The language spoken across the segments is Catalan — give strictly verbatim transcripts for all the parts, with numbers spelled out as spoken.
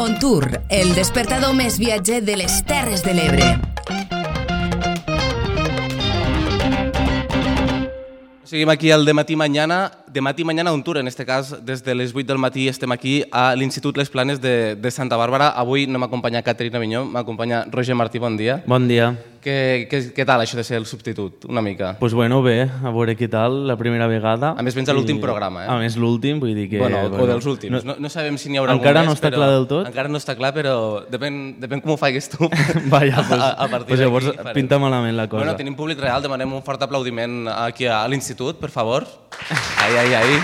On Tour, el despertador més viatger de les Terres de l'Ebre. Seguim aquí al de matí mañana, de matí mañana On Tour, en este cas des de les vuit del matí estem aquí a l'Institut Les Planes de, de Santa Bàrbara. Avui no m'acompanya Caterina Vinyó, m'acompanya Roger Martí, bon dia. Bon dia. Què, què, què tal això de ser el substitut, una mica? Doncs pues bueno, bé, a veure què tal, la primera vegada. A més vens a l'últim I... programa, eh? A més l'últim, vull dir que... Bueno, bueno o dels últims, no, no sabem si n'hi haurà algun encara més, no està però... clar del tot? Encara no està clar, però depèn, depèn com ho faigues tu. Vaja, pues, a, a partir pues llavors farem. Pinta malament la cosa. Bueno, tenim públic real, demanem un fort aplaudiment aquí a l'Institut, per favor. Ai, ai, ai.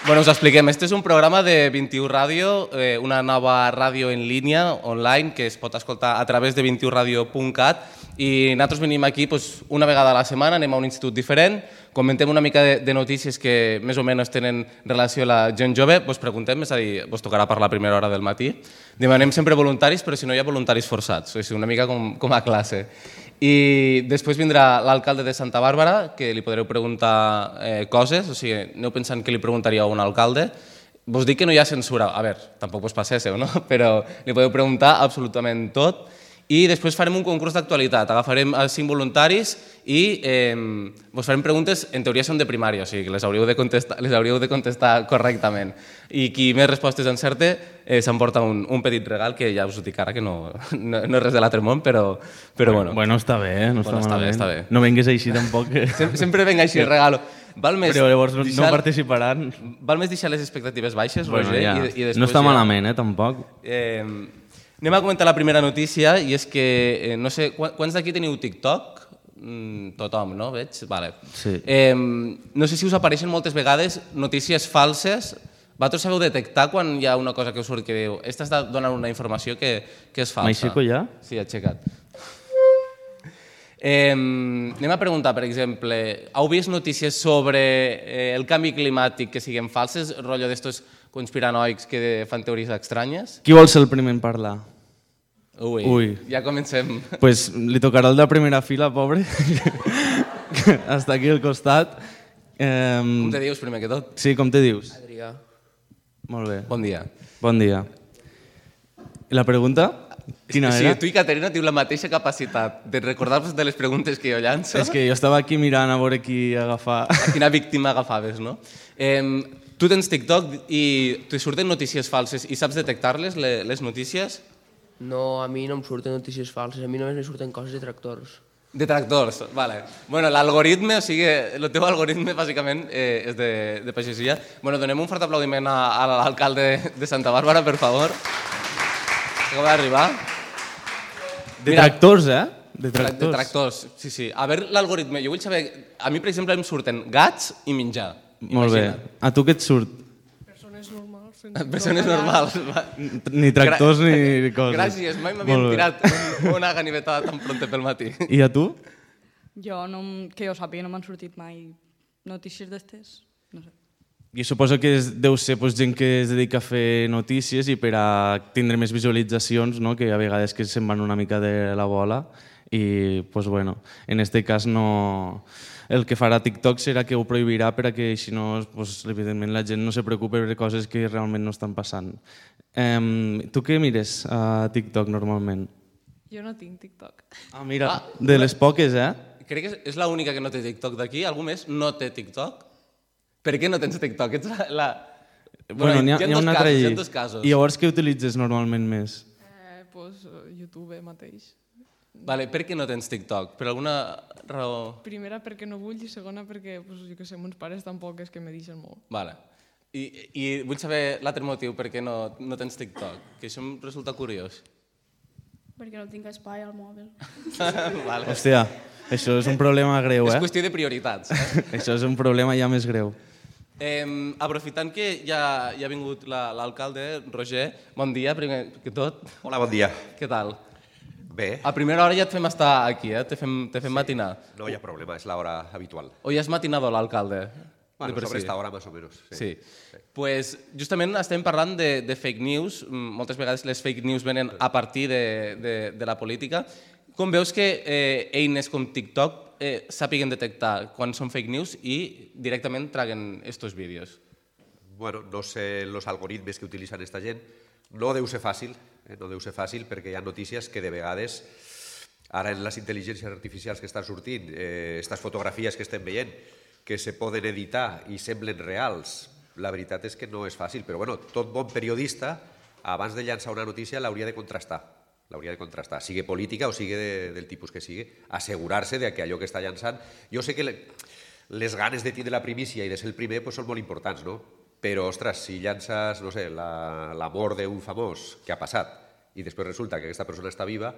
Bueno, us expliquem. Este és un programa de vint-i-u Ràdio, eh, una nova ràdio en línia, online, que es pot escoltar a través de vint i u radio punt cat, i nosaltres venim aquí pues, una vegada a la setmana, anem a un institut diferent, comentem una mica de, de notícies que més o menys tenen relació a la gent jove, vos preguntem, és a dir, vos tocarà parlar a primera hora del matí. Demanem sempre voluntaris, però si no hi ha voluntaris forçats, o sigui, una mica com, com a classe. I després vindrà l'alcalde de Santa Bàrbara, que li podreu preguntar eh, coses, o sigui, aneu pensant que li preguntaríeu a un alcalde. Vos dic que no hi ha censura, a veure, tampoc vos passéssiu, no? Però li podeu preguntar absolutament tot. I després farem un concurs d'actualitat, agafarem els cinc voluntaris i eh, vos farem preguntes, en teoria són de primària, o sigui que les hauríeu de contestar, les hauríeu de contestar correctament. I qui més respostes encerte eh, s'emporta un, un petit regal, que ja us ho dic ara, que no, no, no és res de l'altre món, però, però bueno. Bueno, està bé, eh? No bueno, està, està bé, està bé. No vengues així tampoc. Que... Sem sempre venga així el regalo. Val més però llavors no, deixar... no participaran. Val més deixar les expectatives baixes, bueno, Roger, ja. i, i després no està ja... malament, eh, tampoc. Eh, anem a comentar la primera notícia, i és que, eh, no sé, quants d'aquí teniu TikTok? Mm, tothom, no? Veig? Vale. Sí. Eh, no sé si us apareixen moltes vegades notícies falses. Vosaltres sabeu detectar quan hi ha una cosa que us surt que diu esta està donant una informació que, que és falsa? M'aixeco ja? Sí, aixecat. Eh, anem a preguntar, per exemple, heu vist notícies sobre eh, el canvi climàtic que siguin falses, rotllo d'estos conspiranoics que fan teories estranyes? Qui vol ser el primer en parlar? Ui, Ui. ja comencem. Pues li tocarà el de primera fila, pobre. Està aquí al costat. Eh, Com te dius, primer que tot? Sí, com te dius? Adrià. Molt bé. Bon dia. Bon dia. I la pregunta? Quina sí, era? tu i Caterina teniu la mateixa capacitat de recordar-vos de les preguntes que jo llanço. És que jo estava aquí mirant a veure qui agafar. A quina víctima agafaves, no? Eh, tu tens TikTok i te surten notícies falses i saps detectar-les, les notícies? No, a mi no em surten notícies falses, a mi només me surten coses de tractors. De tractors, vale. Bueno, l'algoritme, o sigui, el teu algoritme bàsicament eh, és de, de pagesia. Bueno, donem un fort aplaudiment a, a l'alcalde de Santa Bàrbara, per favor. Acaba d'arribar. De tractors, eh? De tractors. De tractors, sí, sí. A veure l'algoritme, jo vull saber... A mi, per exemple, em surten gats i menjar. Molt bé. A tu què et surt? Persones normals. Persones normals. Ni tractors Gra ni coses. Gràcies, mai m'havien tirat un, una ganivetada tan pronta pel matí. I a tu? Jo, no, que jo sàpiga, no m'han sortit mai notícies d'estes. No sé. Jo suposo que és, deu ser pues, gent que es dedica a fer notícies i per a tindre més visualitzacions, no? Que a vegades que se'n van una mica de la bola i, pues, bueno, en este cas no... El que farà TikTok serà que ho prohibirà per a que així no, pues, evidentment la gent no se preocupi per coses que realment no estan passant. Um, tu què mires a TikTok normalment? Jo no tinc TikTok. Ah, mira, Ah, de les poques, eh? Crec que és l'única que no té TikTok d'aquí. Algú més no té TikTok? Per què no tens TikTok? Ets la... la... Bueno, n'hi ha, hi ha, hi ha dos un altre casos, hi allí. ha dos casos. I llavors què utilitzes normalment més? Eh, pues, YouTube mateix. Vale, per què no tens TikTok? Per alguna raó? Primera perquè no vull i segona perquè, pues, jo que sé, mons pares tampoc és que me deixen molt. Vale. I, i vull saber l'altre motiu per què no, no tens TikTok, que això em resulta curiós. Perquè no tinc espai al mòbil. Vale. Hòstia, això és un problema greu, eh? És qüestió de prioritats. Eh? Això és un problema ja més greu. Eh, aprofitant que ja, ja ha vingut l'alcalde, Roger, bon dia, primer que tot. Hola, bon dia. Què tal? Bé. A primera hora ja et fem estar aquí, eh? Te fem, te fem sí. matinar. No hi ha problema, és l'hora habitual. O ja és matinador l'alcalde? Bueno, sobre esta hora más o menos. Sí. Sí. sí. Pues justament estem parlant de, de fake news. Moltes vegades les fake news venen a partir de, de, de la política. Com veus que eh, eines com TikTok eh, sàpiguen detectar quan són fake news i directament traguen estos vídeos? bueno, no sé els algoritmes que utilitzen aquesta gent. No deu ser fàcil, eh? no deu ser fàcil perquè hi ha notícies que de vegades, ara en les intel·ligències artificials que estan sortint, aquestes eh, fotografies que estem veient, que se poden editar i semblen reals, la veritat és que no és fàcil, però bueno, tot bon periodista, abans de llançar una notícia, l'hauria de contrastar. L'hauria de contrastar, sigui política o sigui de, del tipus que sigui, assegurar-se de que allò que està llançant... Jo sé que le, les ganes de tindre la primícia i de ser el primer pues, són molt importants, no? Però, ostres, si llances, no sé, la, la mort d'un famós que ha passat i després resulta que aquesta persona està viva,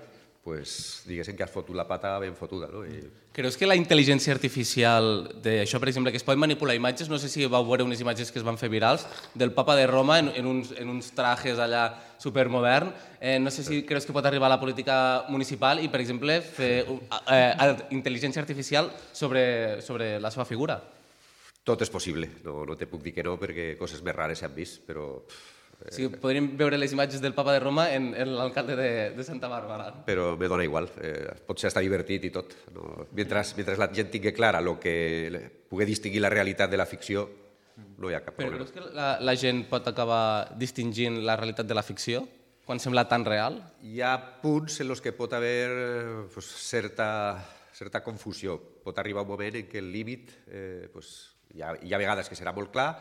pues, diguéssim que has fotut la pata ben fotuda. No? I... Creus que la intel·ligència artificial d'això, per exemple, que es poden manipular imatges, no sé si vau veure unes imatges que es van fer virals, del papa de Roma en, en, uns, en uns trajes allà supermodern, eh, no sé si creus que pot arribar a la política municipal i, per exemple, fer eh, intel·ligència artificial sobre, sobre la seva figura. Tot és possible, no, no te puc dir que no, perquè coses més rares s'han vist, però... Sí, podríem veure les imatges del papa de Roma en, en l'alcalde de, de Santa Bàrbara. Però me dona igual, eh, pot ser estar divertit i tot. No? Mentre, mentre la gent tingui clara lo que pugui distingir la realitat de la ficció, no hi ha cap Però problema. creus que la, la gent pot acabar distingint la realitat de la ficció quan sembla tan real? Hi ha punts en els que pot haver pues, certa, certa confusió. Pot arribar un moment en què el límit, eh, pues, hi, ha, hi ha vegades que serà molt clar,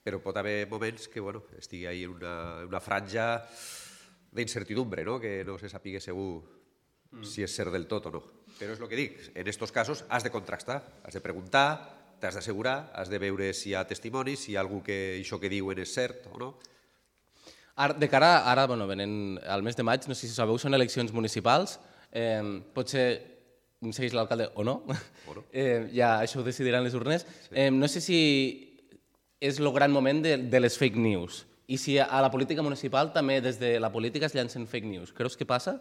però pot haver moments que bueno, estigui ahí en una, una franja d'incertidumbre, no? Que no se sàpiga segur mm. si és cert del tot o no. Però és el que dic, en aquests casos has de contrastar, has de preguntar, t'has d'assegurar, has de veure si hi ha testimonis, si hi ha algú que això que diuen és cert o no. Ara, de cara, ara, bueno, venent al mes de maig, no sé si sabeu, són eleccions municipals, eh, potser segueix l'alcalde o no, o no. Eh, ja això ho decidiran les urnes. Sí. Eh, no sé si és el gran moment de, de les fake news. I si a la política municipal també des de la política es llancen fake news. Creus que passa?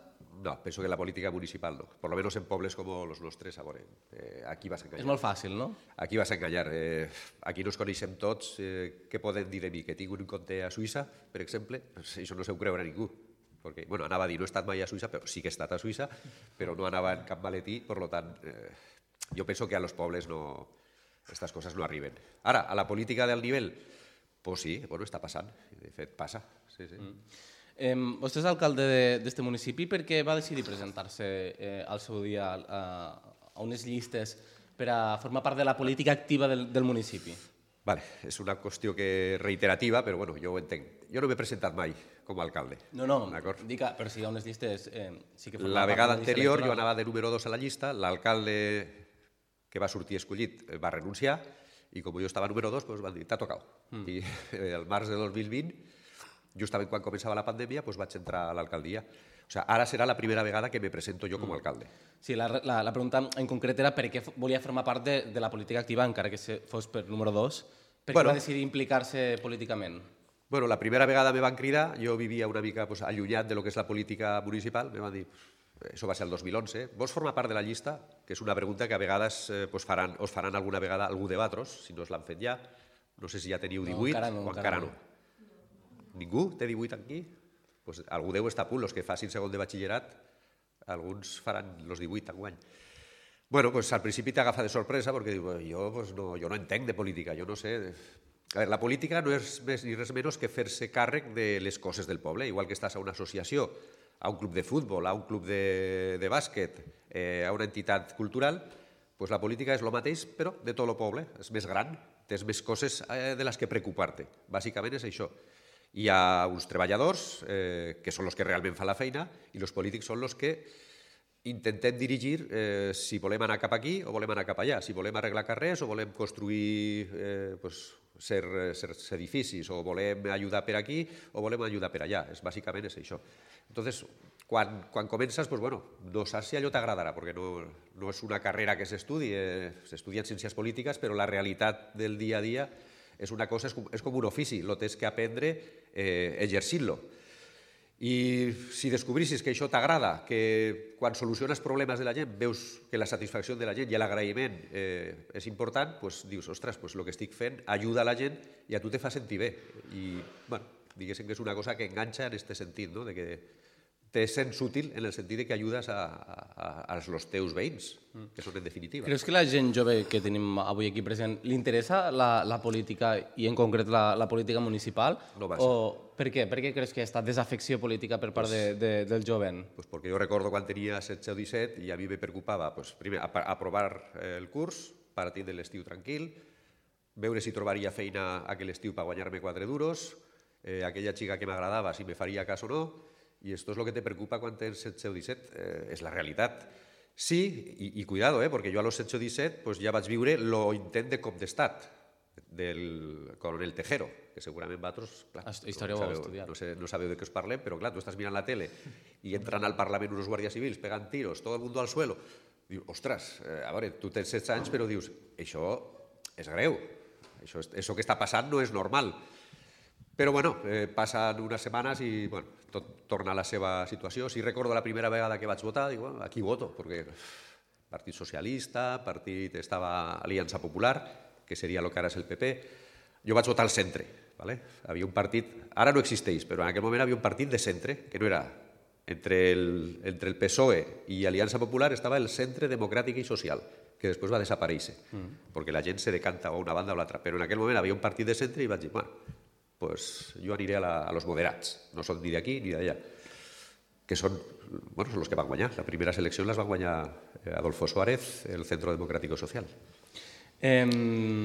No, penso que la política municipal no. Por lo menos en pobles com els nostres, a veure, eh, aquí vas a enganyar. És molt fàcil, no? Aquí vas a enganyar. Eh, aquí no ens coneixem tots. Eh, què poden dir de mi? Que tinc un compte a Suïssa, per exemple? Pues això no s'ho creurà ningú. Perquè, bueno, anava a dir, no he estat mai a Suïssa, però sí que he estat a Suïssa, però no anava en cap maletí, per tant, eh, jo penso que a los pobles no... Estas coses no arriben. Ara, a la política del nivell, pues sí, bueno, està passant. De fet, passa. Sí, sí. Mm. Eh, vostè és alcalde d'aquest municipi. Per què va decidir presentar-se eh, al seu dia a, a unes llistes per a formar part de la política activa del, del municipi? Vale, és una qüestió que reiterativa, però bueno, jo ho entenc. Jo no m'he presentat mai com a alcalde. No, no, dic, però si hi ha unes llistes... Eh, sí que la vegada anterior jo anava de número dos a la llista, l'alcalde que va sortir escollit va renunciar i com jo estava número dos, doncs van dir, t'ha tocat. Mm. I el març de dos mil vint, justament quan començava la pandèmia, doncs vaig entrar a l'alcaldia. O sigui, ara serà la primera vegada que me presento jo com a alcalde. Sí, la, la, la pregunta en concret era per què volia formar part de, de la política activa, encara que fos per número dos. Per què bueno, va decidir implicar-se políticament? Bueno, la primera vegada me van cridar, jo vivia una mica pues, allunyat de lo que és la política municipal, me van dir, això va ser el dos mil onze, vols formar part de la llista? Que és una pregunta que a vegades eh, pues faran, us faran alguna vegada algú de vosaltres, si no us l'han fet ja. No sé si ja teniu divuit no, encara no, o encara no. no. Ningú té divuit aquí? Pues algú deu estar a punt, els que facin segon de batxillerat, alguns faran els divuit enguany. Bueno, pues al principi t'agafa de sorpresa perquè diu, jo, pues no, jo no entenc de política, jo no sé... A veure, la política no és més ni res menys que fer-se càrrec de les coses del poble, igual que estàs a una associació, a un club de futbol, a un club de, de bàsquet, eh, a una entitat cultural, pues la política és el mateix, però de tot el poble. És més gran, tens més coses eh, de les que preocupar-te. Bàsicament és això. Hi ha uns treballadors eh, que són els que realment fan la feina i els polítics són els que intentem dirigir eh, si volem anar cap aquí o volem anar cap allà, si volem arreglar carrers o volem construir eh, pues, ser, ser edificis o volem ajudar per aquí o volem ajudar per allà. És, bàsicament és això. Entonces, quan, quan comences, pues, bueno, no saps si allò t'agradarà, perquè no, no és una carrera que s'estudi, eh, s'estudien ciències polítiques, però la realitat del dia a dia és una cosa, és com, és com un ofici, lo tens que aprendre eh, exercint-lo. I si descobrissis que això t'agrada, que quan soluciones problemes de la gent veus que la satisfacció de la gent i l'agraïment eh, és important, doncs dius, ostres, pues el que estic fent ajuda a la gent i a tu te fa sentir bé. I, bueno, diguéssim que és una cosa que enganxa en aquest sentit, no? De que te sents útil en el sentit que ajudes a, a, a els teus veïns, que són en definitiva. Creus que la gent jove que tenim avui aquí present li interessa la, la política i en concret la, la política municipal? No massa. O per què? Per què creus que hi ha estat desafecció política per part de, de, del jovent? Pues porque yo recuerdo cuando tenía setze o disset i a mi me preocupava pues, primer, aprovar el curs, partir de l'estiu tranquil, veure si trobaria feina aquell estiu per guanyar-me quatre duros, eh, aquella xica que m'agradava, si me faria cas o no, i esto es lo que te preocupa quan tens setze o disset, eh, és la realitat. Sí, i, i cuidado, eh, perquè jo a los setze o disset pues, ja vaig viure lo intent de cop d'estat del coronel Tejero, que segurament vosaltres, clar, història no, ho heu sabeu, estudiat. no, sé, no sabeu de què us parlem, però clar, tu estàs mirant la tele i entran al Parlament unos guàrdies civils, pegant tiros, todo el mundo al suelo. Dius, ostres, eh, a veure, tu tens setze anys, però dius, això és greu, això, això que està passant no és normal. Però, bueno, eh, passen unes setmanes i, bueno, tot torna a la seva situació. Si recordo la primera vegada que vaig votar, dic, bueno, aquí voto, perquè Partit Socialista, partit estava Aliança Popular, que seria el que ara és el P P. Jo vaig votar al centre, ¿vale? Havia un partit, ara no existeix, però en aquell moment havia un partit de centre, que no era entre el, entre el P S O E i Aliança Popular, estava el Centre Democràtic i Social, que després va desaparèixer, mm. perquè la gent se decanta a una banda o l'altra. Però en aquell moment havia un partit de centre i vaig dir, bueno, pues jo aniré a, la, a los moderats, no són ni d'aquí ni d'allà, que són, bueno, són els que van guanyar. La primera selecció les van guanyar Adolfo Suárez, el Centro Democrático Social. Eh,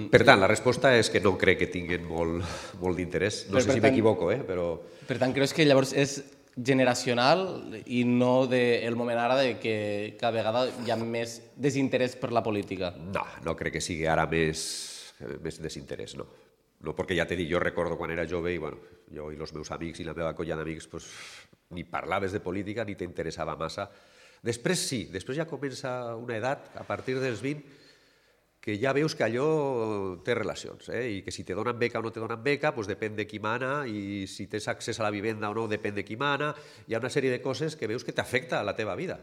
per tant, la resposta és que no crec que tinguin molt, molt d'interès. No sé si m'equivoco, eh? però... Per tant, creus que llavors és generacional i no del moment ara de que cada vegada hi ha més desinterès per la política? No, no crec que sigui ara més, més desinterès, no. No, perquè ja t'he dit, jo recordo quan era jove i bueno, jo i els meus amics i la meva colla d'amics pues, ni parlaves de política ni t'interessava massa. Després sí, després ja comença una edat, a partir dels vint, que ja veus que allò té relacions, eh? I que si te donen beca o no te donen beca, pues depèn de qui mana, i si tens accés a la vivenda o no, depèn de qui mana. Hi ha una sèrie de coses que veus que t'afecta a la teva vida.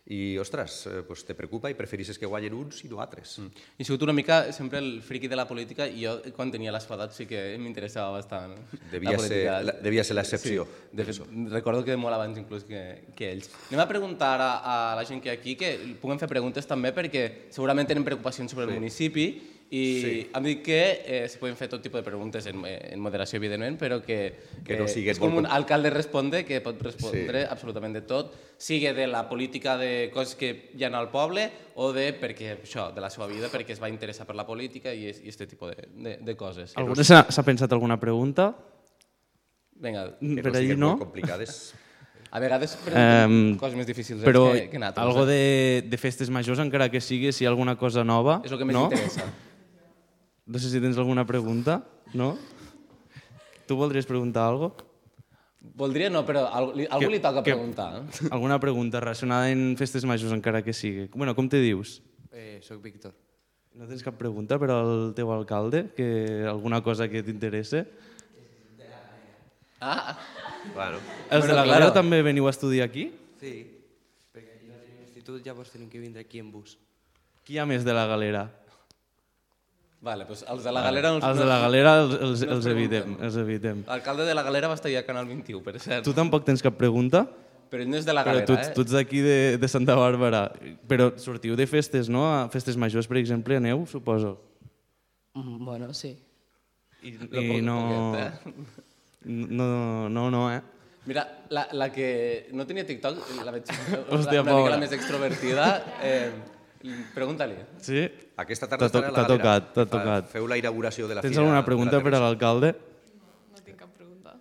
I, ostres, pues te preocupa i preferissis que guanyen uns i no altres. Mm. I he sigut una mica sempre el friqui de la política i jo, quan tenia l'esfadat, sí que m'interessava bastant. Devia, la ser, la, devia ser l'excepció. Sí, de fet, recordo que molt abans inclús que, que ells. Anem a preguntar a, a la gent que hi ha aquí, que puguem fer preguntes també, perquè segurament tenen preocupacions sobre sí. el municipi, i sí. hem dit que eh, se poden fer tot tipus de preguntes en, en moderació, evidentment, però que, que no eh, és com un com... alcalde responde, que pot respondre sí. absolutament de tot, sigui de la política de coses que hi ha al poble o de, perquè, això, de la seva vida, perquè es va interessar per la política i aquest tipus de, de, de coses. Algú s'ha pensat alguna pregunta? Vinga. Que no per siguin no? molt complicades. A vegades pregunten um, coses més difícils però que, que nosaltres. Algo de, de festes majors, encara que sigui, si hi ha alguna cosa nova... És el que més no? interessa. No sé si tens alguna pregunta, no? Tu voldries preguntar alguna cosa? Voldria no, però a algú, algú li toca que, preguntar. Alguna pregunta relacionada en festes majors, encara que sigui. Bueno, com te dius? Eh, soc Víctor. No tens cap pregunta per al teu alcalde? Que alguna cosa que t'interesse? Ah! Bueno. Els bueno, de la claro. Galera també veniu a estudiar aquí? Sí, perquè aquí no tenim institut, llavors tenim que vindre aquí en bus. Qui hi ha més de la Galera? Vale, doncs els de la Galera... Els, els de la Galera els, els, els, evitem, els evitem. L'alcalde de la Galera va estar ja a Canal vint-i-u, per cert. Tu tampoc tens cap pregunta? Però ell no és de la Però Galera, tu, eh? tu ets d'aquí de, de Santa Bàrbara. Però sortiu de festes, no? A festes majors, per exemple, aneu, suposo. Mm, bueno, sí. I, i no... Poquet, eh? No, no, no, eh? Mira, la, la que no tenia TikTok, la veig Hòstia, una mica pobra. la més extrovertida. Eh, Pregunta-li. Sí? Aquesta tarda T'ha estarà a la t'ha Galera. tocat, t'ha Fa- tocat. Feu la inauguració de la Tens fira. alguna de pregunta la per a l'alcalde? No tinc cap pregunta.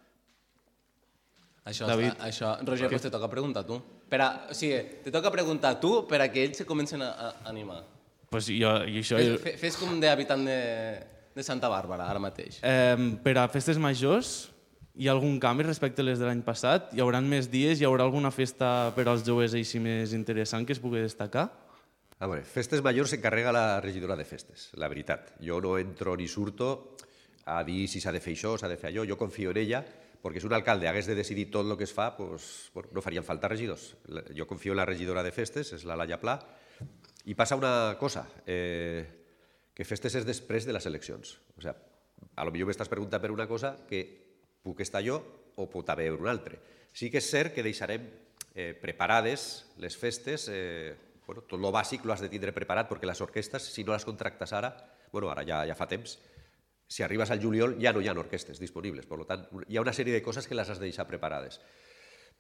Això, David. està, això Roger, pues te toca preguntar tu. Per a, o sigui, te toca preguntar tu per a que ells se comencen a, a animar. Pues jo, i això... Fes, fe- fes com d'habitant de, de Santa Bàrbara, ara mateix. Eh, per a festes majors, hi ha algun canvi respecte a les de l'any passat? Hi haurà més dies? Hi haurà alguna festa per als joves així més interessant que es pugui destacar? A veure, festes majors s'encarrega la regidora de festes, la veritat. Jo no entro ni surto a dir si s'ha de fer això o s'ha de fer allò. Jo confio en ella, perquè si un alcalde hagués de decidir tot el que es fa, pues, bueno, no farien falta regidors. Jo confio en la regidora de festes, és la Laia Pla, i passa una cosa, eh, que festes és després de les eleccions. O sigui, a lo millor m'estàs preguntant per una cosa que puc estar jo o pot haver un altre. Sí que és cert que deixarem eh, preparades les festes, eh, bueno, tot lo bàsic lo has de tindre preparat, perquè les orquestes, si no les contractes ara, bueno, ara ja, ja fa temps, si arribes al juliol ja no hi ha orquestes disponibles, per tant, hi ha una sèrie de coses que les has de deixar preparades.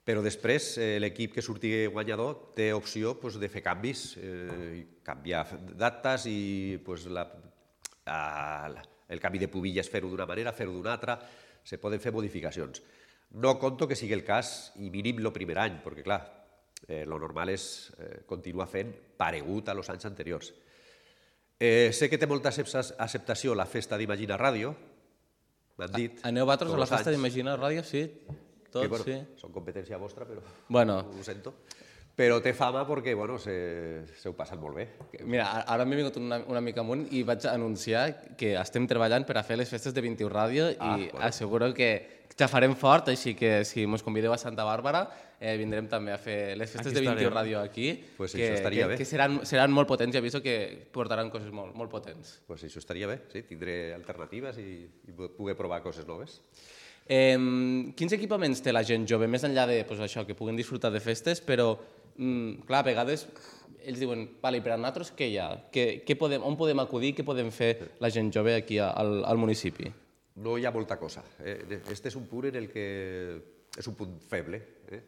Però després eh, l'equip que surti guanyador té opció pues, de fer canvis, eh, canviar dates i pues, la, a, el canvi de pubilles fer-ho d'una manera, fer-ho d'una altra, se poden fer modificacions. No conto que sigui el cas i mínim el primer any, perquè clar, eh, lo normal és eh, continuar fent paregut a los anys anteriors. Eh, sé que té molta acceptació la festa d'Imagina Ràdio, m'han dit. Aneu vosaltres a la festa d'Imagina Ràdio, sí? Tots, que, bueno, sí. Són competència vostra, però bueno. ho sento. Però té fama perquè bueno, se, se ho passen molt bé. Mira, ara m'he vingut una, una mica amunt i vaig anunciar que estem treballant per a fer les festes de vint i u Ràdio ah, i bueno. asseguro que ja farem fort, així que si ens convideu a Santa Bàrbara eh, vindrem també a fer les festes aquí de vint i u Ràdio aquí, pues que, això estaria que, bé. que seran, seran molt potents i aviso que portaran coses molt, molt potents. Pues això estaria bé, sí, tindré alternatives i, i poder provar coses noves. Eh, quins equipaments té la gent jove, més enllà de pues, això, que puguen disfrutar de festes, però mm, clar, a vegades ells diuen, vale, per a nosaltres què hi ha? Què, què podem, on podem acudir? Què podem fer la gent jove aquí al, al municipi? No hi ha molta cosa. Eh? Este és un punt en el que és un punt feble. Eh?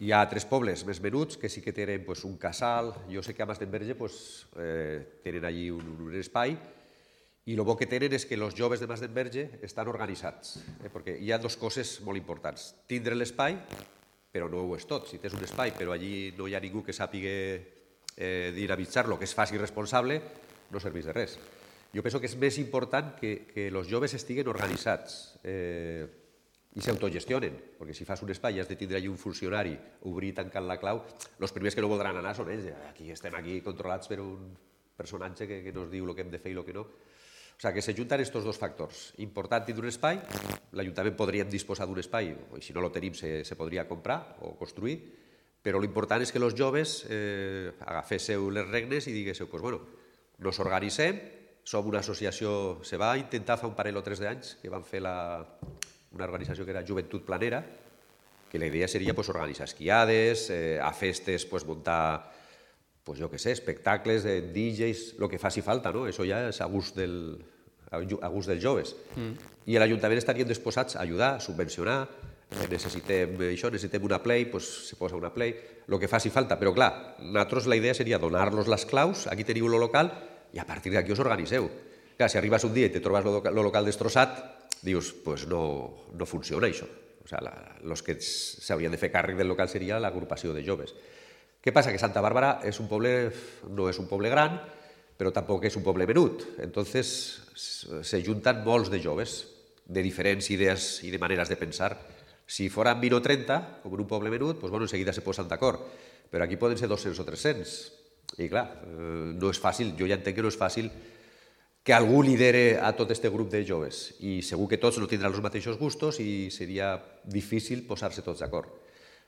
Hi ha tres pobles més menuts que sí que tenen pues, un casal. Jo sé que a Masdenverge pues, eh, tenen allí un, un espai i el bo que tenen és que els joves de Masdenverge estan organitzats, eh? perquè hi ha dues coses molt importants. Tindre l'espai, però no ho és tot. Si tens un espai però allí no hi ha ningú que sàpiga eh, dinamitzar-lo, que es faci responsable, no serveix de res. Jo penso que és més important que, que els joves estiguen organitzats eh, i s'autogestionen, perquè si fas un espai i has de tindre allí un funcionari, obrir i tancar la clau, els primers que no voldran anar són ells. Aquí estem aquí controlats per un personatge que, que nos diu el que hem de fer i el que no. O sigui, que s'ajunten aquests dos factors. Important tindre un espai, l'Ajuntament podríem disposar d'un espai, o si no el tenim se, se podria comprar o construir, però l'important és que els joves eh, agaféssiu les regnes i diguéssiu, pues, bueno, nos organitzem, som una associació, se va intentar fa un parell o tres d'anys, que van fer la, una organització que era Joventut Planera, que la idea seria pues, organitzar esquiades, eh, a festes pues, muntar, pues, jo què sé, espectacles, eh, D Js, el que faci falta, no? Això ja és a gust, del, a gust dels joves. Mm. I l'Ajuntament estaríem disposats a ajudar, a subvencionar, eh, necessitem això, necessitem una play, pues, se posa una play, el que faci falta. Però clar, nosaltres la idea seria donar-los les claus, aquí teniu el local, i a partir d'aquí us organitzeu. Clar, si arribes un dia i te trobes el local destrossat, dius, pues no, no funciona això. O sigui, els que s'haurien de fer càrrec del local seria l'agrupació de joves. Què passa? Que Santa Bàrbara és un poble, no és un poble gran, però tampoc és un poble menut. Entonces, se junten molts de joves, de diferents idees i de maneres de pensar. Si foren vint o trenta, com en un poble menut, doncs, bueno, en seguida se posen d'acord. Però aquí poden ser dos-cents o tres-cents. I clar, no és fàcil, jo ja entenc que no és fàcil que algú lidere a tot aquest grup de joves. I segur que tots no tindran els mateixos gustos i seria difícil posar-se tots d'acord.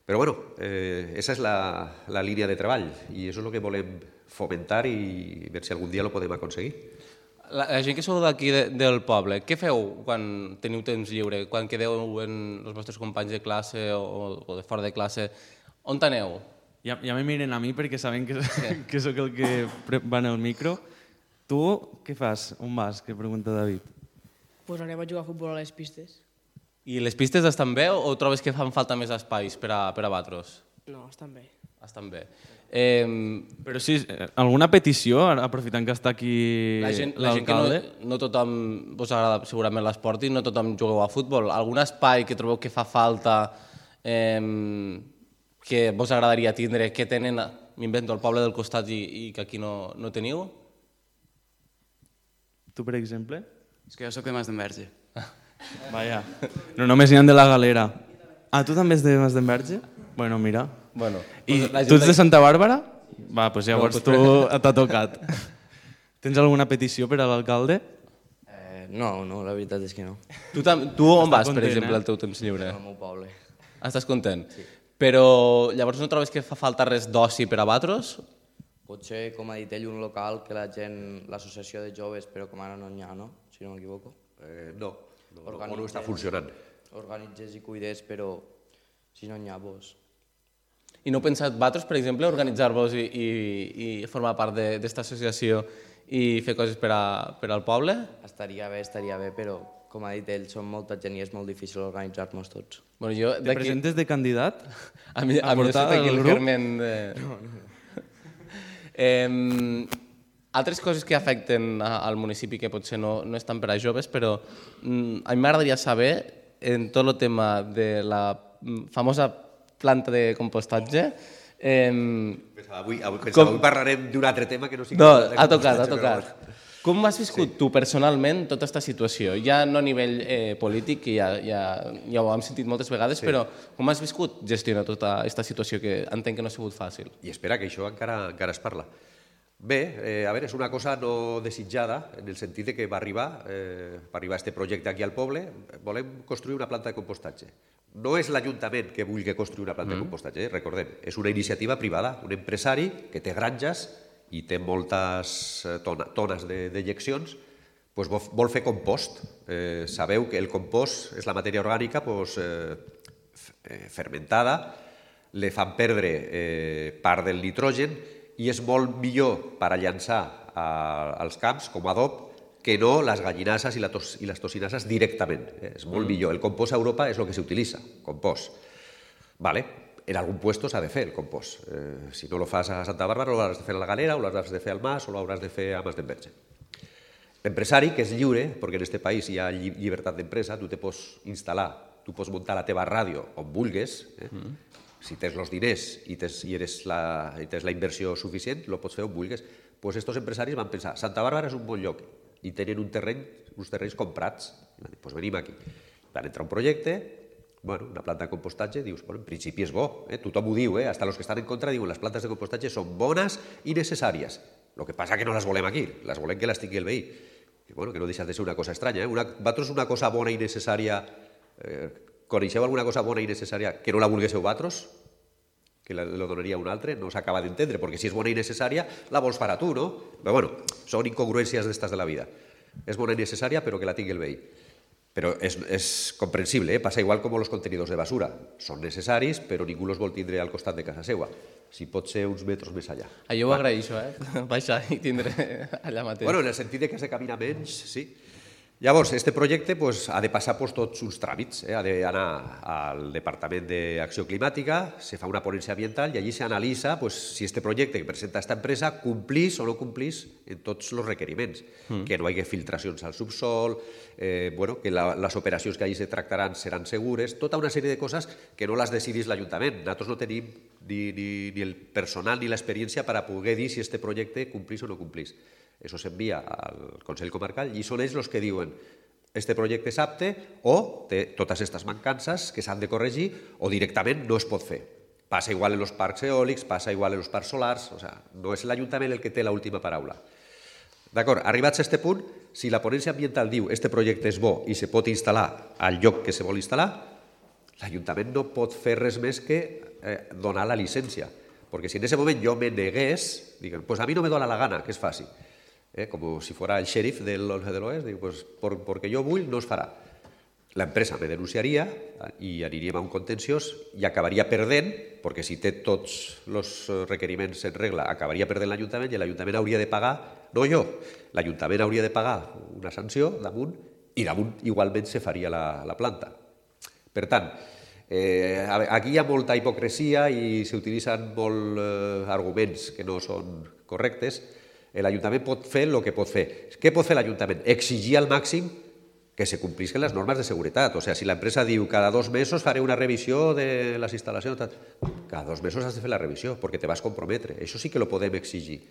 Però bueno, eh, esa és la, la línia de treball i això és el que volem fomentar i veure si algun dia ho podem aconseguir. La, la gent que sou d'aquí de, del poble, què feu quan teniu temps lliure, quan quedeu amb els vostres companys de classe o, o de fora de classe? On aneu? Ja, ja me miren a mi perquè saben que, sí. que sóc el que va en el micro. Tu què fas? On vas? Que pregunta David. Pues anem a jugar a futbol a les pistes. I les pistes estan bé o trobes que fan falta més espais per a, per a vosaltres? No, estan bé. Estan bé. Eh, Però sí, alguna petició, aprofitant que està aquí l'alcalde? La gent que no, no tothom vos agrada segurament l'esport i no tothom jugueu a futbol. Algun espai que trobeu que fa falta, eh, que vos agradaria tindre, que tenen, m'invento, al poble del costat i, i que aquí no, no teniu? Tu, per exemple? És que jo soc de Masdenverge. Vaja, no només n'hi ha de la Galera. Ah, tu també ets de Masdenverge? Bueno, mira. Bueno, I tu ets de Santa Bàrbara? Va, doncs llavors tu t'ha tocat. Tens alguna petició per a l'alcalde? Eh, no, no, la veritat és que no. Tu, tu on vas, per exemple, al teu temps lliure? Al meu poble. Estàs content? Sí. Però llavors no trobes que fa falta res d'oci per a vosaltres? Potser, com ha dit ell, un local que la gent, l'associació de joves, però com ara no n'hi ha, no? Si no m'equivoco. Eh, no, no, no està funcionant. Organitzes i cuides, però si no n'hi ha, doncs... I no heu pensat vosaltres, per exemple, organitzar-vos i, i, i formar part d'esta associació i fer coses per, a, per al poble? Estaria bé, estaria bé, però com ha dit ell, som molta gent i és molt difícil organitzar-nos tots. Bueno, jo, Te presentes de candidat? A mi, a, a mi portar sóc aquí el el grup? Carmen... De... No, no. eh, altres coses que afecten a, al municipi que potser no, no estan per a joves, però mm, a mi m'agradaria saber, en tot el tema de la famosa planta de compostatge... Eh, pensava, avui, avui, pensava, avui parlarem d'un altre tema que no sigui... No, ha tocat, ha tocat. Com has viscut sí. tu personalment tota aquesta situació? Ja no a nivell eh, polític, que ja, ja, ja ho hem sentit moltes vegades, sí. però com has viscut gestionar tota aquesta situació que entenc que no ha sigut fàcil? I espera, que això encara, encara es parla. Bé, eh, a veure, és una cosa no desitjada, en el sentit de que va arribar, eh, va arribar este projecte aquí al poble, volem construir una planta de compostatge. No és l'Ajuntament que vulgui construir una planta mm. de compostatge, eh? Recordem, és una iniciativa privada, un empresari que té granges i té moltes tona, tones d'ejeccions, doncs vol fer compost. Eh, sabeu que el compost és la matèria orgànica doncs, eh, fermentada, li fan perdre eh, part del nitrogen i és molt millor per a llançar a, als camps com a adob que no les gallinasses i, la tos, i les tocinasses directament. Eh, és molt mm. millor. El compost a Europa és el que s'utilitza, compost. Vale. En algun puesto s'ha de fer el compost. Eh, si no lo fas a Santa Bàrbara, lo hauràs de fer a la Galera, o lo hauràs de fer al Mas, o lo hauràs de fer a Mas d'Enverge. L'empresari, que és lliure, perquè en aquest país hi ha lli llibertat d'empresa, tu te pots instal·lar, tu pots muntar la teva ràdio on vulguis, eh? mm. si tens els diners i tens, i eres la, i tens la inversió suficient, lo pots fer on vulguis. Pues estos empresaris van pensar, Santa Bàrbara és un bon lloc, i tenen un terreny, uns terrenys comprats, doncs venim aquí. Van entrar un projecte, bueno, una planta de compostatge, dius, bueno, en principi és bo, eh? tothom ho diu, eh? hasta los que estan en contra diuen les plantes de compostatge són bones i necessàries. El que passa que no les volem aquí, les volem que les tingui el veí. Que, bueno, que no deixa de ser una cosa estranya. Eh? Una, vosaltres una cosa bona i necessària, eh, coneixeu alguna cosa bona i necessària que no la vulguéssiu vosaltres? Que la, la donaria un altre? No s'acaba d'entendre, perquè si és bona i necessària la vols fer a tu, no? Però bueno, són incongruències d'estes de la vida. És bona i necessària, però que la tingui el veí. Però és, és comprensible, eh? Passa igual com els contenidors de basura. Són necessaris, però ningú els vol tindre al costat de casa seva. Si pot ser uns metres més allà. Ah, jo ho agraeixo, eh? Baixar i tindre allà mateix. Bueno, en el sentit que se camina menys, sí. Llavors, este projecte pues, ha de passar pues, tots uns tràmits. Eh? Ha d'anar al Departament d'Acció Climàtica, se fa una ponència ambiental i allí s'analitza pues, si este projecte que presenta aquesta empresa complís o no complís en tots els requeriments. Mm. Que no hi hagi filtracions al subsol, eh, bueno, que la, les operacions que allí se tractaran seran segures, tota una sèrie de coses que no les decidís l'Ajuntament. Nosaltres no tenim ni, ni, ni el personal ni l'experiència per a poder dir si este projecte complís o no complís. Això s'envia al Consell Comarcal i són ells els que diuen este projecte és apte o té totes aquestes mancances que s'han de corregir o directament no es pot fer. Passa igual en els parcs eòlics, passa igual en els parcs solars, o sea, no és l'Ajuntament el que té l'última paraula. D'acord, arribats a aquest punt, si la ponència ambiental diu este projecte és bo i se pot instal·lar al lloc que se vol instal·lar, l'Ajuntament no pot fer res més que eh, donar la llicència. Perquè si en aquest moment jo me negués, diguen, pues a mi no me dóna la gana, que és fàcil. Eh, com si fuera el xèrif de l'Oest, dic, pues, por, porque jo vull, no es farà. L'empresa me denunciaria i aniríem a un contenciós i acabaria perdent, perquè si té tots els requeriments en regla, acabaria perdent l'Ajuntament i l'Ajuntament hauria de pagar, no jo, l'Ajuntament hauria de pagar una sanció damunt i damunt igualment se faria la, la planta. Per tant, eh, aquí hi ha molta hipocresia i s'utilitzen molts eh, arguments que no són correctes. L'Ajuntament pot fer el que pot fer. Què pot fer l'Ajuntament? Exigir al màxim que se complisquen les normes de seguretat. O sigui, si l'empresa diu cada dos mesos faré una revisió de les instal·lacions, cada dos mesos has de fer la revisió perquè te vas comprometre. Això sí que lo podem exigir.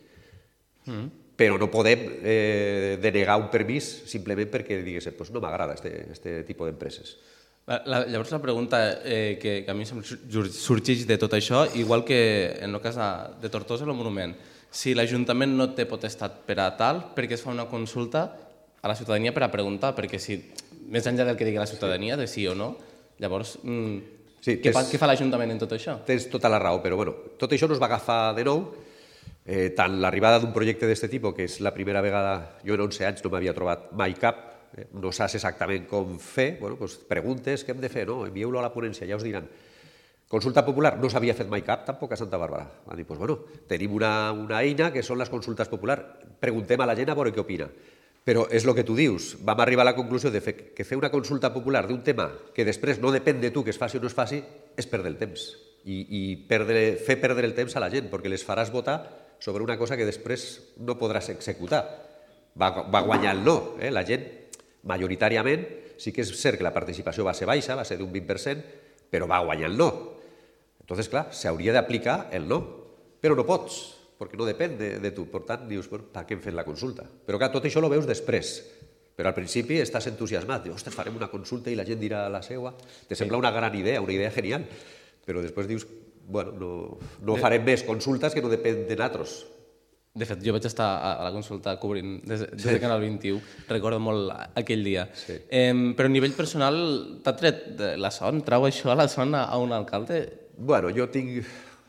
Mm. Però no podem eh, denegar un permís simplement perquè digues, pues no m'agrada este, este tipus d'empreses. La, llavors la pregunta eh, que, que a mi sorgeix de tot això, igual que en el cas de Tortosa, el monument, si l'Ajuntament no té potestat per a tal, perquè es fa una consulta a la ciutadania per a preguntar, perquè si, més enllà del que digui la ciutadania, de sí o no, llavors, mm, sí, què, tens, fa, què fa l'Ajuntament en tot això? Tens tota la raó, però bueno, tot això no es va agafar de nou, eh, tant l'arribada d'un projecte d'aquest tipus, que és la primera vegada, jo en onze anys no m'havia trobat mai cap, eh, no saps exactament com fer, bueno, doncs preguntes, què hem de fer, no? Envieu-lo a la ponència, ja us diran. Consulta popular, no s'havia fet mai cap, tampoc a Santa Bàrbara. Van dir, doncs, bueno, tenim una, una eina que són les consultes populars, preguntem a la gent a veure què opina. Però és el que tu dius, vam arribar a la conclusió de fer, que fer una consulta popular d'un tema que després no depèn de tu que es faci o no es faci, és perdre el temps. I, i perdre, fer perdre el temps a la gent, perquè les faràs votar sobre una cosa que després no podràs executar. Va, va guanyar el no. Eh? La gent, majoritàriament, sí que és cert que la participació va ser baixa, va ser d'un vint per cent, però va guanyar el no. Entonces, clar, s'hauria d'aplicar el no, però no pots, perquè no depèn de, de tu. Per tant, dius, bueno, per què hem fet la consulta? Però clar, tot això ho veus després. Però al principi estàs entusiasmat. Dius, ostres, farem una consulta i la gent dirà la seva. Te sembla una gran idea, una idea genial. Però després dius, bueno, no, no farem més consultes que no depèn de nosaltres. De fet, jo vaig estar a la consulta cobrint des, des de Canal vint-i-u, recordo molt aquell dia. Sí. Eh, però a nivell personal, t'ha tret la son? Trau això a la son a un alcalde? Bueno, jo tinc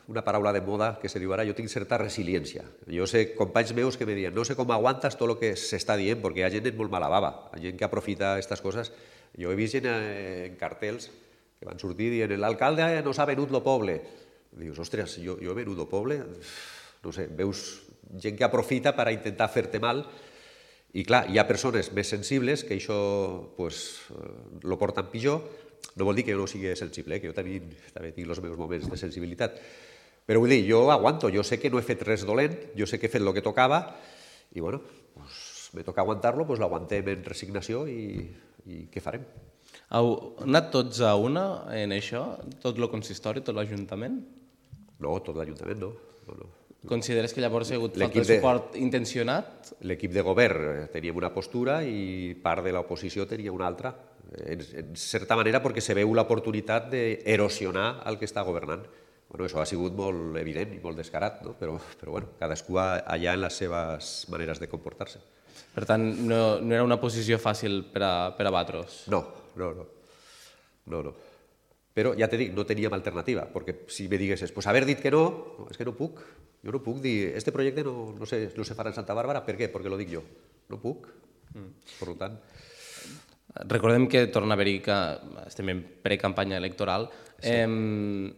una paraula de moda que se diu ara, jo tinc certa resiliència. Jo sé companys meus que me diuen, no sé com aguantes tot el que s'està dient, perquè hi ha gent molt mala bava, hi ha gent que aprofita aquestes coses. Jo he vist gent en cartells que van sortir dient, l'alcalde no s'ha venut lo poble. Dius, ostres, jo, jo he venut lo poble? No sé, veus gent que aprofita per intentar fer-te mal. I clar, hi ha persones més sensibles que això pues, lo porten pitjor. No vol dir que jo no sigui sensible, eh? Que jo també, també tinc els meus moments de sensibilitat. Però vull dir, jo aguanto, jo sé que no he fet res dolent, jo sé que he fet el que tocava i bueno, pues, me toca aguantar-lo, pues l'aguantem en resignació i, i què farem? Heu anat tots a una en això? Tot el consistori, tot l'Ajuntament? No, tot l'Ajuntament no. no, no. Consideres que llavors hi ha hagut falta de suport intencionat? L'equip de govern teníem una postura i part de l'oposició tenia una altra. En, en certa manera perquè se veu l'oportunitat d'erosionar el que està governant. Bueno, això ha sigut molt evident i molt descarat, no? però, però bueno, cadascú allà en les seves maneres de comportar-se. Per tant, no, no era una posició fàcil per a, per a batros? No, no, no. no, no. Però ja te dic, no teníem alternativa, perquè si me diguessis, pues haver dit que no, no, és que no puc. Jo no puc dir, este projecte no, no, se, no se farà en Santa Bàrbara, per què? Perquè lo dic jo. No puc. Mm. Per tant... Recordem que torna a haver-hi que estem en precampanya electoral. Sí. Eh,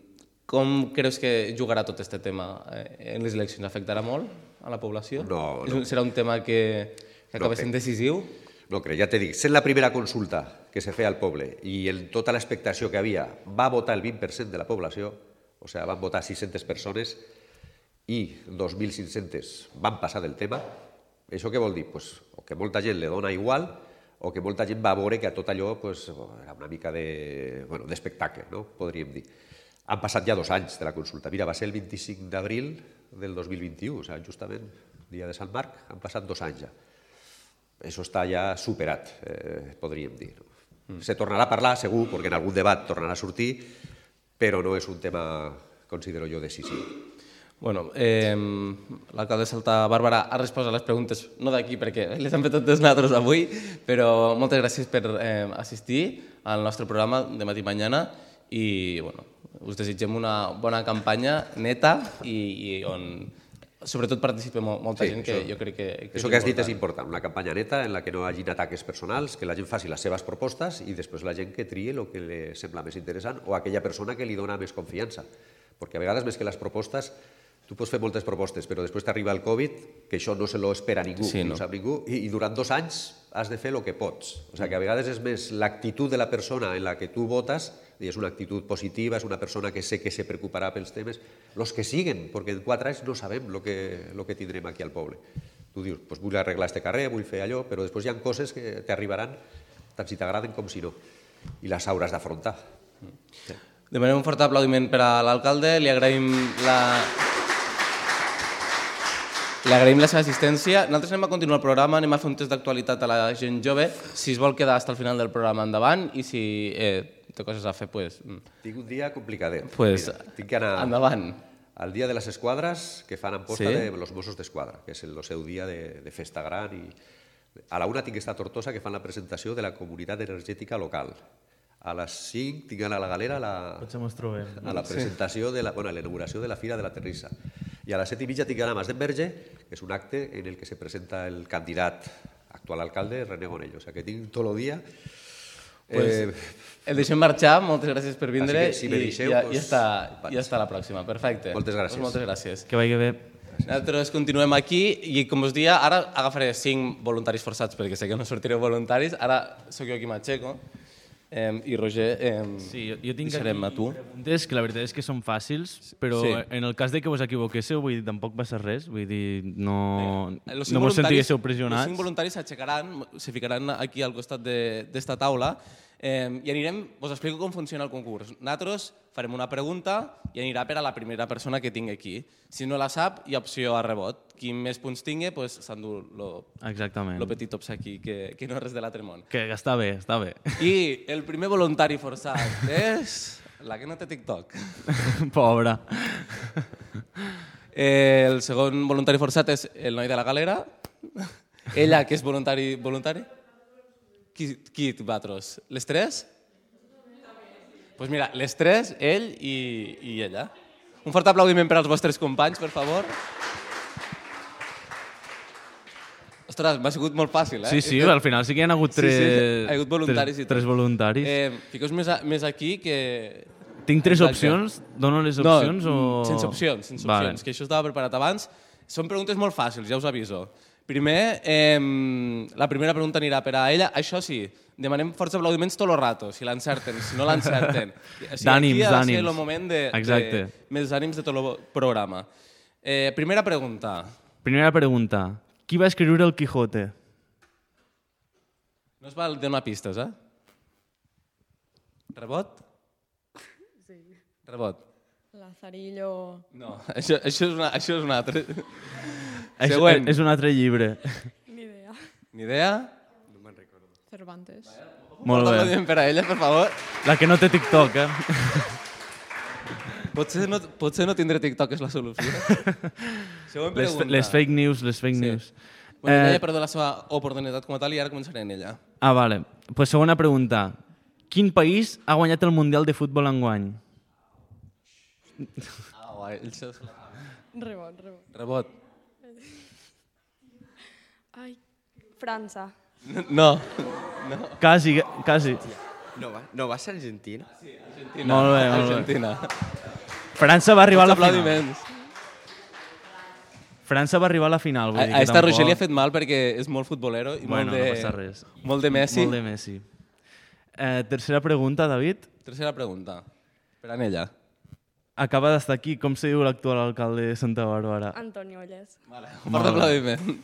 com creus que jugarà tot aquest tema en les eleccions? Afectarà molt a la població? No, no. Serà un tema que, que acaba no sent decisiu? No crec, ja t'he dit, sent la primera consulta que se feia al poble i en tota l'expectació que havia va votar el vint per cent de la població, o sigui, van votar sis-centes persones i dos mil cinc-centes van passar del tema, això què vol dir? Pues, o que molta gent li dona igual o que molta gent va veure que a tot allò pues, era una mica de, bueno, d'espectacle, no? Podríem dir. Han passat ja dos anys de la consulta. Mira, va ser el vint-i-cinc d'abril del dos mil vint-i-u, o sigui, justament dia de Sant Marc, han passat dos anys ja. Això està ja superat, eh, podríem dir. No? Mm. Se tornarà a parlar, segur, perquè en algun debat tornarà a sortir, però no és un tema, considero jo, decisiu. Bueno, eh, l'alcalde de Santa Bàrbara ha respost a les preguntes, no d'aquí perquè les hem fet totes nosaltres avui, però moltes gràcies per eh, assistir al nostre programa de Matí Mañana i bueno, us desitgem una bona campanya neta i, i on sobretot participa molta sí, gent que això, jo crec que... que això que has dit és important, una campanya neta en la que no hi hagi ataques personals, que la gent faci les seves propostes i després la gent que trie el que li sembla més interessant o aquella persona que li dona més confiança. Perquè a vegades més que les propostes tu pots fer moltes propostes, però després t'arriba el Covid, que això no se lo espera ningú, sí, no. no sap ningú, i, i durant dos anys has de fer el que pots. O sigui, que a vegades és més l'actitud de la persona en la que tu votes, i és una actitud positiva, és una persona que sé que se preocuparà pels temes, els que siguen, perquè en quatre anys no sabem el que, lo que tindrem aquí al poble. Tu dius, pues vull arreglar este carrer, vull fer allò, però després hi ha coses que t'arribaran tant si t'agraden com si no, i les hauràs d'afrontar. Sí. Demanem un fort aplaudiment per a l'alcalde, li agraïm la... Li agraïm la seva assistència. Nosaltres anem a continuar el programa, anem a fer un test d'actualitat a la gent jove. Si es vol quedar fins al final del programa, endavant, i si eh, té coses a fer, pues... Tinc un dia complicadet. Pues, Mira, tinc que anar endavant. Al dia de les esquadres que fan amposta sí? de los Mossos d'Esquadra, que és el seu dia de, de festa gran. I... A la una tinc que estar a Tortosa, que fan la presentació de la comunitat energètica local. A les cinc tinc d'anar a la Galera a la, a la presentació, de la, bueno, a la inauguració de la Fira de la Terrissa. I a les set i mitja tinc d'anar a Mas d'Enverge, que és un acte en el que se presenta el candidat actual alcalde, René Gonell. O sigui que tinc tot el dia Pues, el deixem marxar, moltes gràcies per vindre. Així que, si me deixeu, i, ja, pues, ja, està, vaig. ja està la pròxima, perfecte. Moltes gràcies. Pues moltes gràcies. Que vagi bé. Nosaltres continuem aquí i, com us dia, ara agafaré cinc voluntaris forçats perquè sé que no sortireu voluntaris. Ara sóc jo qui m'aixeco eh, i Roger eh, Sí, jo, jo tinc deixarem a tu. preguntes que la veritat és que són fàcils, però Sí. en el cas de que vos equivoquéssiu, vull dir, tampoc va ser res, vull dir, no, Los cinc no vos voluntaris- sentiguéssiu Els pressionats. cinc voluntaris s'aixecaran, se ficaran aquí al costat d'esta taula eh, i anirem, us explico com funciona el concurs. Nosaltres farem una pregunta i anirà per a la primera persona que tingui aquí. Si no la sap, hi ha opció a rebot. Qui més punts tingui, pues, s'endú lo, Exactament. lo petit obsequi, que, que no és res de l'altre món. Que està bé, està bé. I el primer voluntari forçat és la que no té TikTok. Pobra. Eh, el segon voluntari forçat és el noi de la galera. Ella, que és voluntari... voluntari? Qui, qui vosaltres? Les tres? Doncs pues mira, les tres, ell i, i ella. Un fort aplaudiment per als vostres companys, per favor. Ostres, m'ha sigut molt fàcil, eh? Sí, sí, al final sí que hi ha hagut Sí, tres, sí, hi ha hagut voluntaris i tres, tot. tres voluntaris. Eh, Fiqueu-vos més, a- més aquí que... Tinc tres Exacte. opcions? Dono les No, opcions o...? sense opcions, sense Vale. opcions, que això estava preparat abans. Són preguntes molt fàcils, ja us aviso. Primer, eh, la primera pregunta anirà per a ella. Això sí, demanem forts aplaudiments tot el rato, si l'encerten, si no l'encerten. O sigui, D'ànims, aquí ha de ser d'ànims. el moment de, Exacte. de més ànims de tot el programa. Eh, primera pregunta. Primera pregunta. Qui va escriure el Quijote? No es val donar pistes, eh? Rebot? Sí. Rebot. Lazarillo... No, això, això, és, una, això és un altre. És, Següent. és un altre llibre. Ni idea. Ni idea? Cervantes. Molt Fort bé. aplaudiment per a ella, per favor. La que no té TikTok, eh? Potser no, potser no tindré TikTok és la solució. Següent Les, pregunta. les fake news, les fake Sí. news. Bueno, Eh, ella perdó la seva oportunitat com a tal i ara començaré en ella. Ah, vale. Pues segona pregunta. Quin país ha guanyat el Mundial de Futbol enguany? Ah, guai. El seu... Rebot, rebot. Rebot. Ai, França. No. no. Quasi, quasi. No va, no va ser Argentina? Argentina. Molt bé, molt bé. Argentina. França va arribar a la Molts final. aplaudiments. França va arribar a la final. Vull A, dir a que esta tampoc- Roger li ha fet mal perquè és molt futbolero i Bueno, molt de... no passa res. Molt de Messi. Molt de Messi. Eh, tercera pregunta, David. Tercera pregunta. Per a ella. Acaba d'estar aquí. Com se diu l'actual alcalde de Santa Bàrbara? Antonio Olles. Vale. Un fort aplaudiment.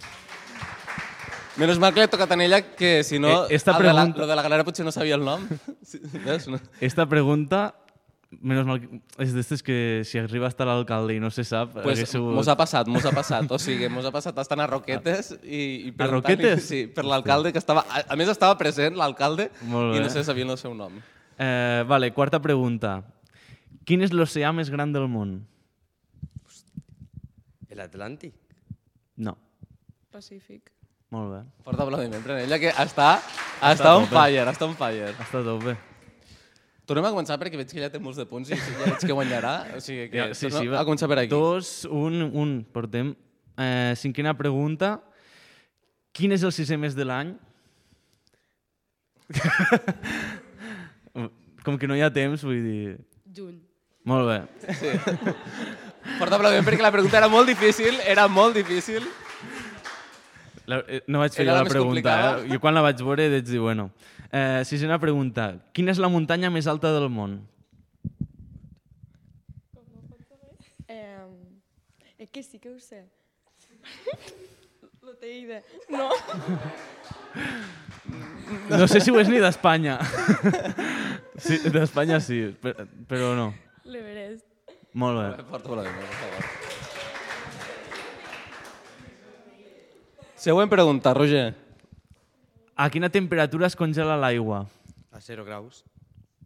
Menos mal que l'he tocat a ella, que si no, Eh, esta el de la, pregunta- lo de la galera potser no sabia el nom. Sí, veus? No. Esta pregunta, menos mal, que- és d'estes que si arriba hasta l'alcalde i no se sap... Pues hagués sigut- mos ha passat, mos ha passat. O sigui, mos ha passat estant a Roquetes i, i A Roquetes? Sí, per l'alcalde que estava... A, a més estava present l'alcalde Molt i bé. no se sabia el seu nom. Eh, vale, quarta pregunta. Quin és l'oceà més gran del món? El Atlàntic? No. Pacífic. Molt bé. Fort aplaudiment per ella, que està, està on tope. fire, està on fire. Està tot bé. Tornem a començar perquè veig que ella té molts de punts i ja veig que guanyarà. O sigui que Ja, sí, sí, tornem a començar per aquí. Dos, un, un. Portem. Eh, cinquena pregunta. Quin és el sisè mes de l'any? Com que no hi ha temps, vull dir... Juny. Molt bé. Fort aplaudiment perquè la pregunta era molt difícil, era molt difícil. La, eh, no vaig fer Era jo la la més pregunta. complicada. Eh? Jo quan la vaig veure vaig dir, bueno... Eh, sisena pregunta. Quina és la muntanya més alta del món? Eh, és que sí que ho sé. Lo té idea. No. No sé si ho és ni d'Espanya. Sí, d'Espanya sí, però, però no. L'Everest. Molt bé. Fort aplaudiment, per favor. Següent pregunta, Roger. A quina temperatura es congela l'aigua? A zero graus.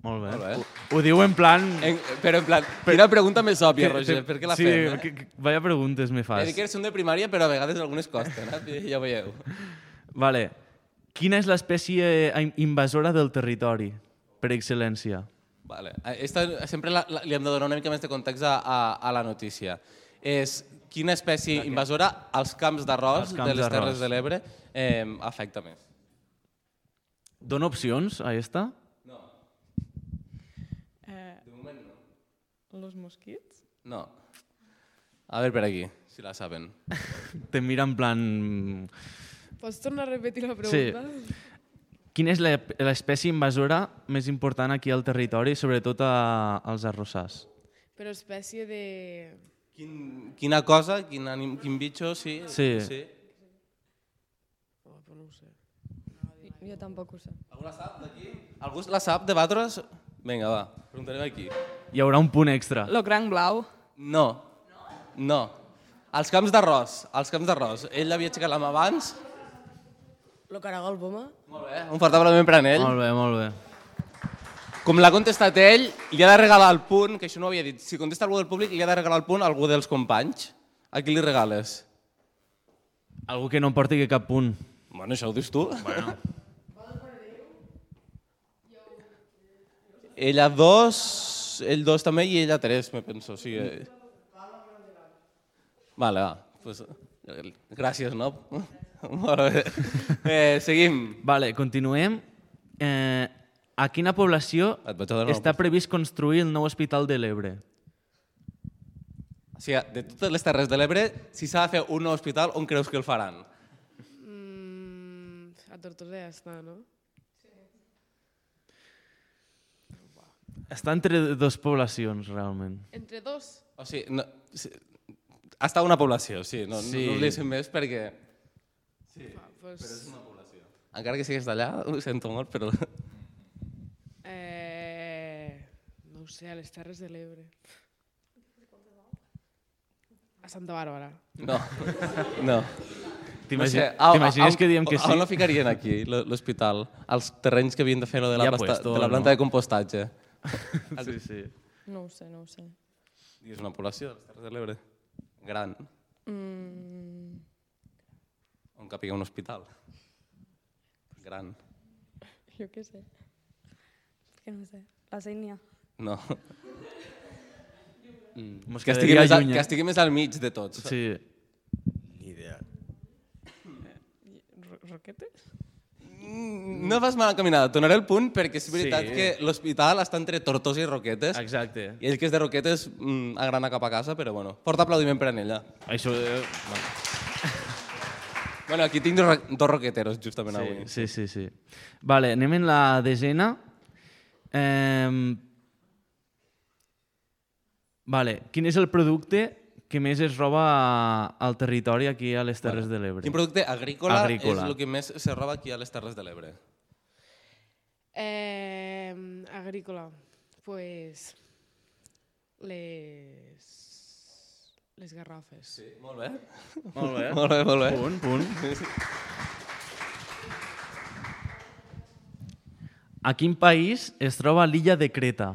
Molt bé. Molt bé. Ho, ho diu en plan... En, però en plan, quina pregunta més òbvia, que- Roger, te- per què la sí, fem? Eh? que, que, vaya preguntes me He fas. dit que eres un de primària, però a vegades algunes costen, eh? Ja ho veieu. Vale. Quina és l'espècie eh, invasora del territori, per excel·lència? Vale. Esta, sempre la, la, li hem de donar una mica més de context a, a, a la notícia. És quina espècie invasora als camps d'arròs Als camps de les d'arròs. Terres de l'Ebre eh, afecta més. Dona opcions a esta? Eh, De moment no. los mosquits? No. A veure per aquí, si la saben. Te mira en plan... Pots tornar a repetir la Sí. pregunta? Quina és l'ep- l'espècie invasora més important aquí al territori, sobretot a, als arrossars? Però espècie de... Quin, quina cosa, quin, anim, quin bitxo, sí? Sí. sí. Oh, però no ho sé. Jo tampoc ho sé. Algú la sap d'aquí? Algú la sap de vosaltres? Vinga, va, preguntarem aquí. Hi haurà un punt extra. Lo cranc blau. No. No. Els camps d'arròs, els camps d'arròs. Ell havia aixecat la mà abans. Lo caragol poma? Molt bé, un fort aplaudiment per a ell. Molt bé, molt bé. Com l'ha contestat ell, li ha de regalar el punt, que això no ho havia dit. Si contesta algú del públic, li ha de regalar el punt a algú dels companys. A qui li regales? Algú que no porti cap punt. Bueno, això ho dius tu. Bueno. Ella dos, ell dos també i ella tres, me penso. O sigui... Vale, va. Pues, gràcies, no? Molt bé. Eh, seguim. Vale, continuem. Eh, a quina població Et vaig a donar està una previst construir el nou hospital de l'Ebre? O sigui, de totes les Terres de l'Ebre, si s'ha de fer un nou hospital, on creus que el faran? Mm, a Tortosa ja està, no? Està entre dues poblacions, realment. Entre dos? O sigui, no, sí, està una població, sí. No, Sí. no us deixem més perquè... Sí. Va, pues... Però és una població. Encara que sigues d'allà, ho sento molt, però... Eh... No ho sé, a les Terres de l'Ebre. A Santa Bàrbara. No, no. T'imagines No sé, a- t'imagines a- que diem que A on sí? lo ficarien aquí, lo- l'hospital? Els terrenys que havien de fer lo de la, Ja plasta, puesto, de la planta no? de compostatge. Sí, sí. No ho sé, no ho sé. I és una població de les Terres de l'Ebre. Gran. Mm, On capiga un hospital. Gran. jo què sé. Que no sé. La Sénia. No. Mos Que estigui, quedaria més, a, lluny, eh? que estigui més al mig de tots. Sí. Ni idea. Ro Roquetes? No vas mal encaminada. Donaré el punt perquè és veritat Sí. que l'hospital està entre Tortosa i Roquetes. Exacte. I ell que és de Roquetes mm, agrana cap a casa, però bueno. Fort aplaudiment per a ella. Això... Eh, Bueno, aquí tinc dos, ro- dos roqueteros justament avui. sí, sí, sí, sí. Vale, anem en la desena. Eh, vale, quin és el producte que més es roba al territori aquí a les Terres de l'Ebre? Quin producte agrícola, Agrícola. és el que més se roba aquí a les Terres de l'Ebre? Eh, agrícola. Pues... Les... Les garrafes. Sí. Molt bé. Molt bé. Molt bé, molt bé. Punt, punt. A quin país es troba l'illa de Creta?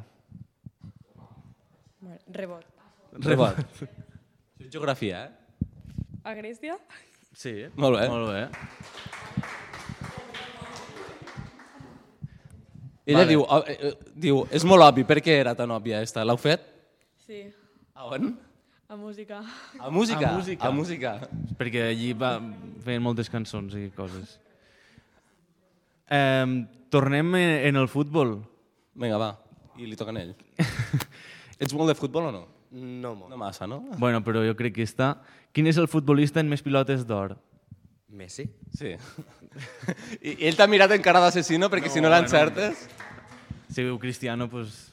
Rebot. Rebot. Això és geografia, eh? A Grècia? Sí. Molt bé. Molt bé. Ella Vale. diu, eh, eh, diu, és molt obvi, per què era tan òbvia esta? L'heu fet? Sí. A on? A música. A música? A música. A música. Perquè allí va, feien moltes cançons i coses. Eh, tornem en el futbol. Vinga, va. I li toca a ell. Ets molt de futbol o no? No molt. No massa, no? Bueno, però jo crec que està... Quin és el futbolista amb més pilotes d'or? Messi? Sí. I ell t'ha mirat en cara d'assassino perquè no, si no l'encertes... Si diu Cristiano, doncs...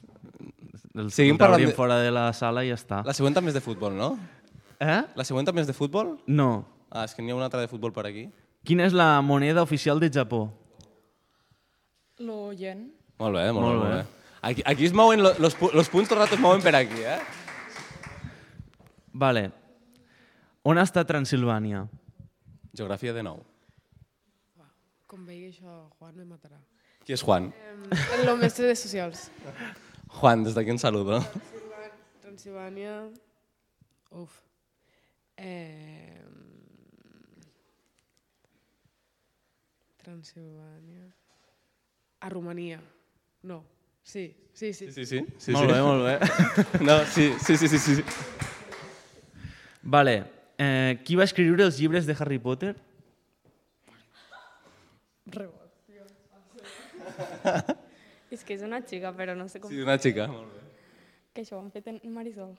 El Seguim el parlant trauríem de- fora de la sala i ja està. La següent també és de futbol, no? Eh? La següent també és de futbol? No. Ah, és que n'hi ha una altra de futbol per aquí. Quina és la moneda oficial de Japó? Lo yen. Molt bé, molt, Molt molt bé. bé. Molt bé. Aquí, aquí es mouen, lo- los, pu- los punts tot el rato es mouen per aquí, eh? Vale. On està Transilvània? Geografia de nou. Com vegi això, Juan me matarà. Qui és Juan? Eh, lo mestre de socials. Juan, des d'aquí un saludo. Transilvània... Uf. Eh... Transilvània... A Romania. No. Sí, sí, sí. Sí, sí, sí. sí molt sí. bé, molt bé. No, sí, sí, sí, sí, sí. Vale. Eh, qui va escriure els llibres de Harry Potter? Rebot. És que és una xica, però no sé com... Sí, una xica. Molt bé. Que això ho han fet en Marisol.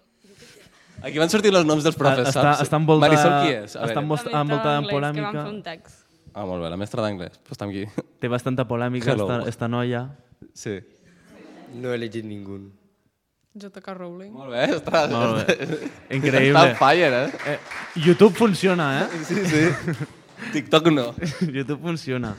Aquí van sortir els noms dels profes, Està, saps? està envoltada, Marisol qui és? A està veure. envolta- envoltada en Que van polèmica. fer un text. Ah, molt bé, la mestra d'anglès. Pues està aquí. Té bastanta polèmica Hello. esta, esta noia. Sí. No he llegit ningú. J K. Rowling. Molt bé, està... Molt bé. Increïble. Està on fire, eh? eh? YouTube funciona, eh? Sí, sí. TikTok no. YouTube funciona.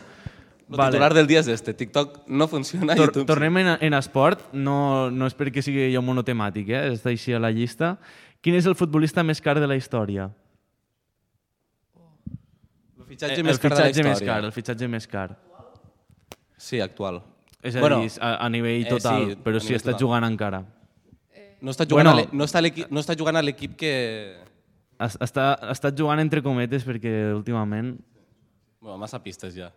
El titular del dia és este. TikTok no funciona. Tor YouTube tornem en, en esport. No, no és perquè sigui jo monotemàtic, eh? Està així a la llista. Quin és el futbolista més car de la història? El fitxatge Eh, més el car de la fitxatge més història. car, el fitxatge més car. Sí, actual. És a Bueno, dir, a, a nivell eh, total, sí, però a sí nivell està total. jugant encara. No està jugant, Bueno, a l'e- no està, a l'equip- no està jugant a l'equip que... Es- Està, ha estat jugant entre cometes perquè últimament... Bueno, massa pistes ja.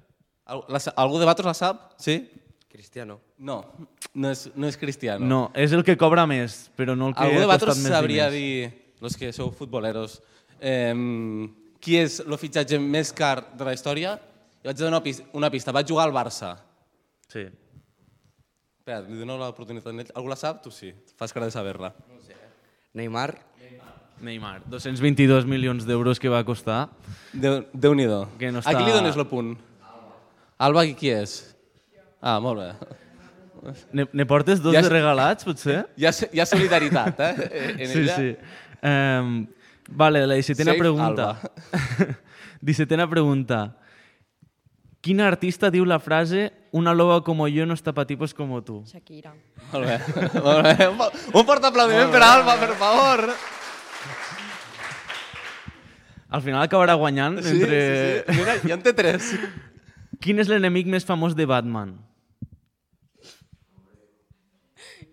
Al- La, sa- algú de vosaltres la sap? Sí? Cristiano. No, no és, no és Cristiano. No, és el que cobra més, però no el que Algú de ha costat vosaltres més sabria diners. dir, los que sou futboleros, eh, qui és el fitxatge més car de la història? I vaig donar una pista. Una pista. Vaig jugar al Barça. Sí. Espera, li dono l'oportunitat a ell. Algú la sap? Tu sí. Fas cara de saber-la. No sé. Neymar. Neymar. dos-cents vint-i-dos milions d'euros que va costar. Déu- Déu-n'hi-do. Que no A qui li està- dones el punt? Alba, qui és? Ah, molt bé. Ne, ne portes dos Ja de és- regalats, potser? Hi ha, hi ha solidaritat, eh? En Sí, ella. sí. Um, vale, la dissetena Save pregunta. dissetena pregunta. Quin artista diu la frase una loba como yo no está pa tipos como tú? Shakira. Molt bé, molt bé. Un, fo- un fort aplaudiment per Alba, per favor. Al final acabarà guanyant Sí, entre... sí, sí. Mira, ja en té tres. Quin és l'enemic més famós de Batman?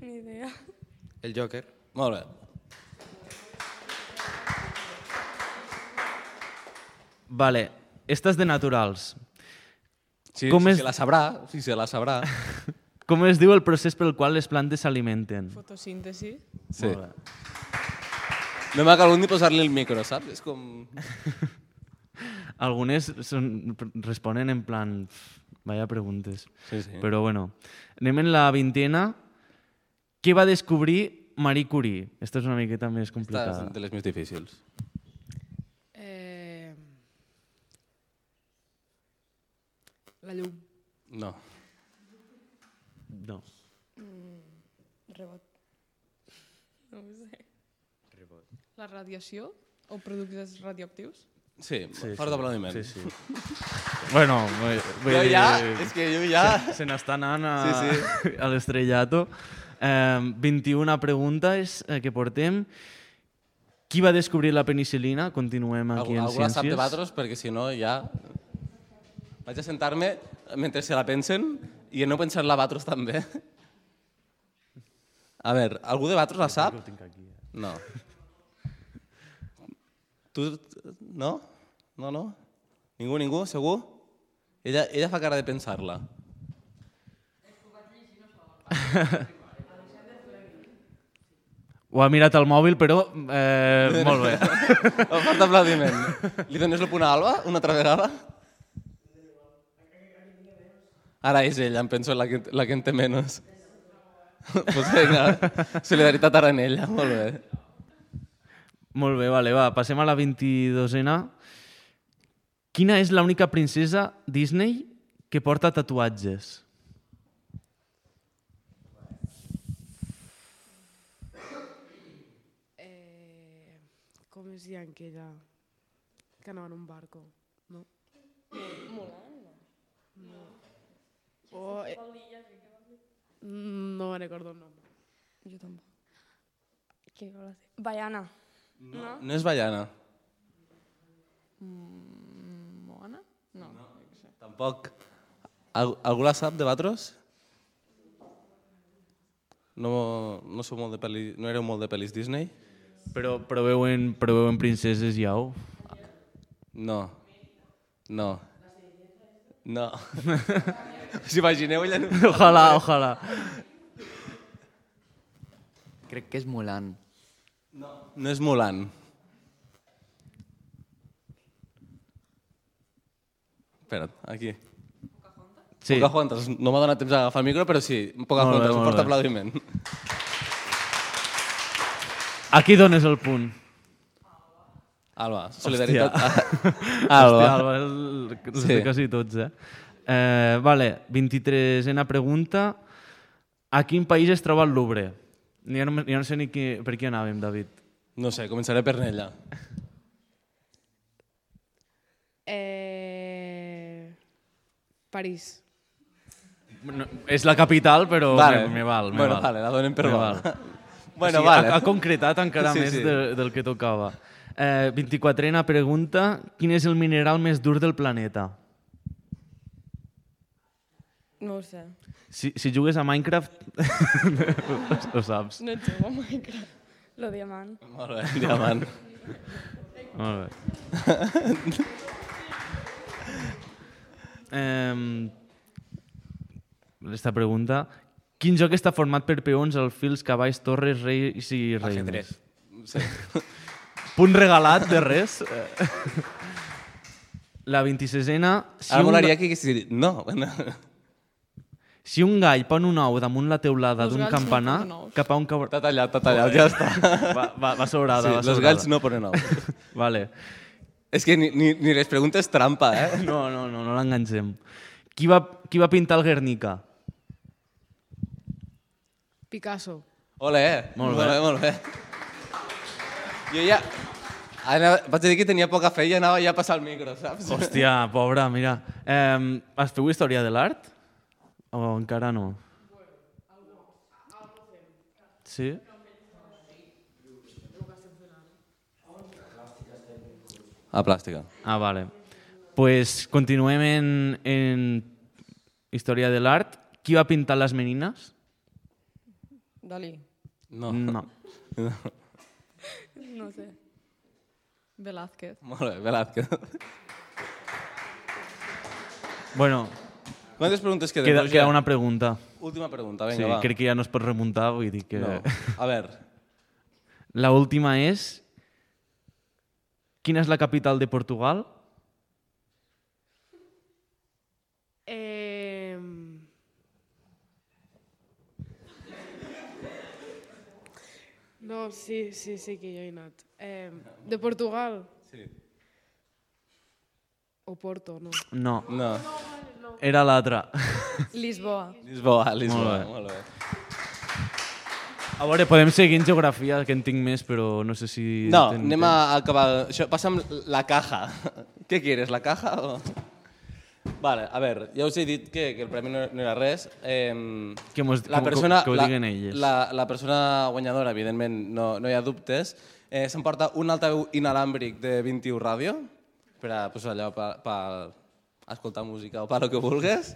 Ni idea. El Joker. Molt bé. Vale, esta és de naturals. Sí, Com si és- se la sabrà, si se la sabrà. Com es diu el procés pel qual les plantes s'alimenten? Fotosíntesi. Sí. Molt bé. No m'ha calgut ni posar-li el micro, saps? És com... Algunes són, responen en plan... pff, Vaya preguntes. Sí, sí. Però bueno, anem en la vintena. Què va descobrir Marie Curie? Esta és una miqueta més Esta complicada. és de les més difícils. Eh... La llum. No. No. Mm, rebot. No ho sé. La radiació o productes radioactius? Sí, Sí, fort sí. d'aplaudiment. Sí, sí. Bueno, vull, vull Jo dir, ja, és que jo ja... Se, se n'està anant a, Sí, sí. a l'estrellato. Eh, vint-i-una preguntes eh, que portem. Qui va descobrir la penicil·lina? Continuem aquí Algú, en algú la sap de ciències. vosaltres, perquè si no ja... Vaig a sentar-me mentre se la pensen i no pensar-la vosaltres també. A veure, algú de vosaltres la sap? No. Tu, no? No, no? Ningú, ningú? Segur? Ella, ella fa cara de pensar-la. Ho ha mirat al mòbil, però eh, molt bé. Un fort aplaudiment. Li dones el punt a Alba una altra vegada? Ara és ella, em penso la que, la que en té menys. Pues vinga, solidaritat ara en ella, molt bé. Molt bé, vale, va, passem a la vint-i-dosena. Quina és l'única princesa Disney que porta tatuatges? Eh... Com es deia aquella que anava en un barco? No? Mulan, no. No. Oh, eh... No me recordo el nombre. Jo tampoc. Què vol dir? Baiana. No? No és Baiana. Mm, Moana? No. no. Tampoc. Al, algú la sap de vosaltres? No, no, sou molt de pel·li, no éreu molt de pel·lis Disney? Però preveuen, preveuen princeses i au? No. No. No. Us imagineu ella? Ojalà, ojalà. Crec que és Mulan. No. No és Mulan. Espera't, aquí. Sí. Pocahontas. No m'ha donat temps a agafar el micro, però sí, Pocahontas, un fort aplaudiment. Aquí dones el punt. Alba, solidaritat. Hòstia, Alba, el, els sí. de quasi tots, eh? eh? Vale, vint-i-tresena pregunta. A quin país es troba el Louvre? Jo no, jo no sé ni qui, per qui anàvem, David. No sé, començaré per Nella. Eh... París. No, és la capital, però vale. me, me val. Me bueno, val. vale, la donem per me val. val. Bueno, o sigui, vale. ha, ha concretat encara sí, més sí. De, del que tocava. Eh, vint-i-quatrena pregunta. Quin és el mineral més dur del planeta? No ho sé. Si, si jugues a Minecraft, ho saps. No et jugo a Minecraft. Lo diamant. Molt bé, diamant. Molt bé. eh, esta pregunta. Quin joc està format per peons, alfils, cavalls, torres, reis i reines? Sí. Punt regalat de res. La vint-i-sisena... Si Ara molaria que haguessis dit no. Si un gall pon un ou damunt la teulada d'un campanar, cap a un cabr... T'ha tallat, t'ha tallat, ja està. Va, va, va sobrada, sí, va sobrada. Els galls no ponen ous. Vale. És que ni, ni, ni les preguntes trampa, eh? No, no, no, no l'enganxem. Qui va, qui va pintar el Guernica? Picasso. Ole, molt bé, molt bé. Jo ja... Anava, vaig dir que tenia poca fe i anava ja a passar el micro, saps? Hòstia, pobra, mira. Eh, has feu història de l'art? O encara no? Sí? A plàstica. Ah, vale. Pues continuem en, en història de l'art. Qui va pintar les menines? Dalí. No. No. No sé. Velázquez. Molt bé, Velázquez. Bueno, quantes preguntes queden? Queda, queda una pregunta. Última pregunta, vinga, sí, va. Crec que ja no es pot remuntar, vull dir que... No. A veure. La última és... Quina és la capital de Portugal? Eh... No, sí, sí, sí que jo he anat. Eh, de Portugal? Sí. O Porto, no? No. No. Era l'altra. Lisboa. Lisboa, Lisboa, Molt bé. molt bé. A veure, podem seguir en geografia, que en tinc més, però no sé si... No, ten anem temps. a acabar... Això, passa'm la caja. Què quieres, la caja o...? Vale, a veure, ja us he dit que, que el premi no, no era res. Eh, que, mos, la que, persona, que ho la, diguen elles. La, la persona guanyadora, evidentment, no, no hi ha dubtes, eh, s'emporta un altaveu inalàmbric de vint-i-u Ràdio, per a, pues, allò, per, per escoltar música o per lo que vulguis.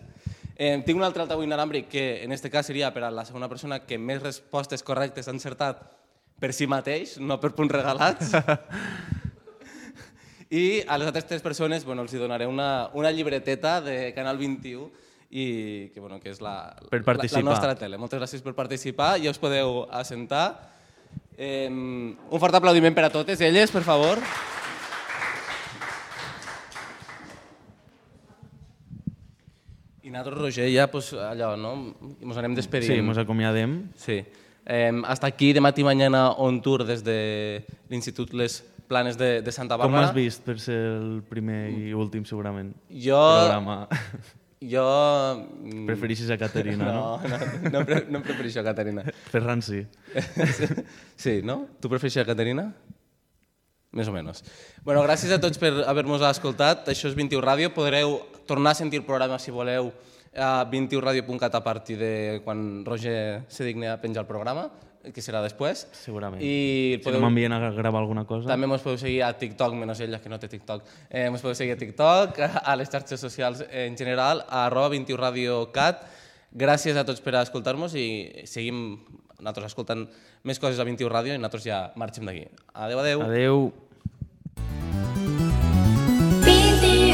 Eh, tinc un altre altaveu inalàmbric que en aquest cas seria per a la segona persona que més respostes correctes ha encertat per si mateix, no per punts regalats. I a les altres tres persones bueno, els donaré una, una llibreteta de Canal vint-i-u i que, bueno, que és la, per la, la nostra participar. tele. Moltes gràcies per participar. Ja us podeu assentar. Eh, un fort aplaudiment per a totes elles, per favor. I nosaltres, Roger, ja pues, allò, no? Ens anem despedint. Sí, ens acomiadem. Sí. Eh, hasta aquí, demà i mañana on tour des de l'Institut Les Planes de, de Santa Com Bàrbara. has vist per ser el primer i últim, segurament, jo, programa? Jo... Preferixes a Caterina, no? No, no, no, pre no em prefereixo a Caterina. Ferran sí. Sí, no? Tu prefereixes a Caterina? Més o menys. Bueno, gràcies a tots per haver-nos escoltat. Això és vint-i-u Ràdio. Podreu tornar a sentir el programa, si voleu, a vint i u radio punt cat a partir de quan Roger se digni a penjar el programa, que serà després. Segurament. I si no m'envien a gravar alguna cosa. També ens podeu seguir a TikTok, menys ella, que no té TikTok. Eh, ens podeu seguir a TikTok, a les xarxes socials en general, a arroba vint-i-u radio cat. Gràcies a tots per escoltar-nos i seguim nosaltres escoltant més coses a vint-i-u Ràdio i nosaltres ja marxem d'aquí. Adéu, adéu. Adéu. vint i u